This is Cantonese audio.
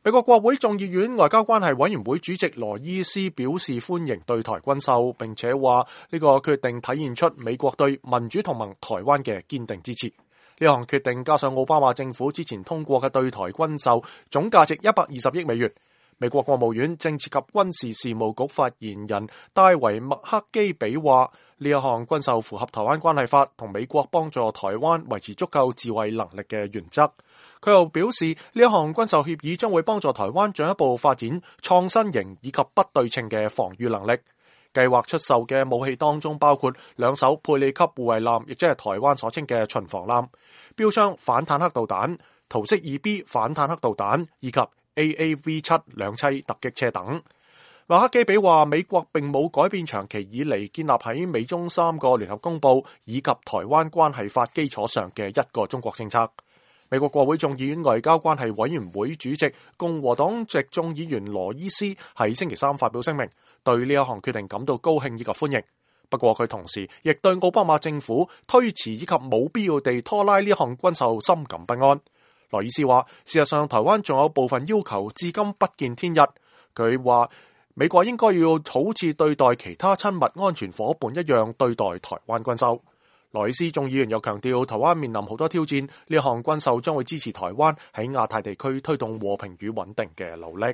美國國會眾議院外交關係委員會主席羅伊斯表示歡迎對台軍售，並且話呢個決定體現出美國對民主同盟台灣嘅堅定支持。呢項決定加上奧巴馬政府之前通過嘅對台軍售，總價值120億美元。美國國務院政治及軍事事務局發言人戴維麥克基比話：呢一項軍售符合台灣關係法同美國幫助台灣維持足夠自衛能力嘅原則。佢又表示，呢一項軍售協議將會幫助台灣進一步發展創新型以及不對稱嘅防禦能力。計劃出售嘅武器當中包括2艘佩里級護衛艦，亦即係台灣所稱嘅巡防艦、標槍反坦克導彈、圖式 2B 反坦克導彈以及 AAV7 兩棲突擊車等。麥克基比話：美國並冇改變長期以嚟建立喺美中3個聯合公報以及台灣關係法基礎上嘅一個中國政策。美國國會眾議院外交關係委員會主席共和黨籍眾議員羅伊斯喺星期3發表聲明，對呢一項決定感到高興以及歡迎。不過佢同時亦對奧巴馬政府推遲以及冇必要地拖拉呢項軍售深感不安。羅伊斯話：事實上，台灣仲有部分要求至今不見天日。佢話美國應該要好似對待其他親密安全夥伴一樣對待台灣軍售。羅伊斯眾議員又強調，台灣面臨好多挑戰，呢項軍售將會支持台灣喺亞太地區推動和平與穩定嘅努力。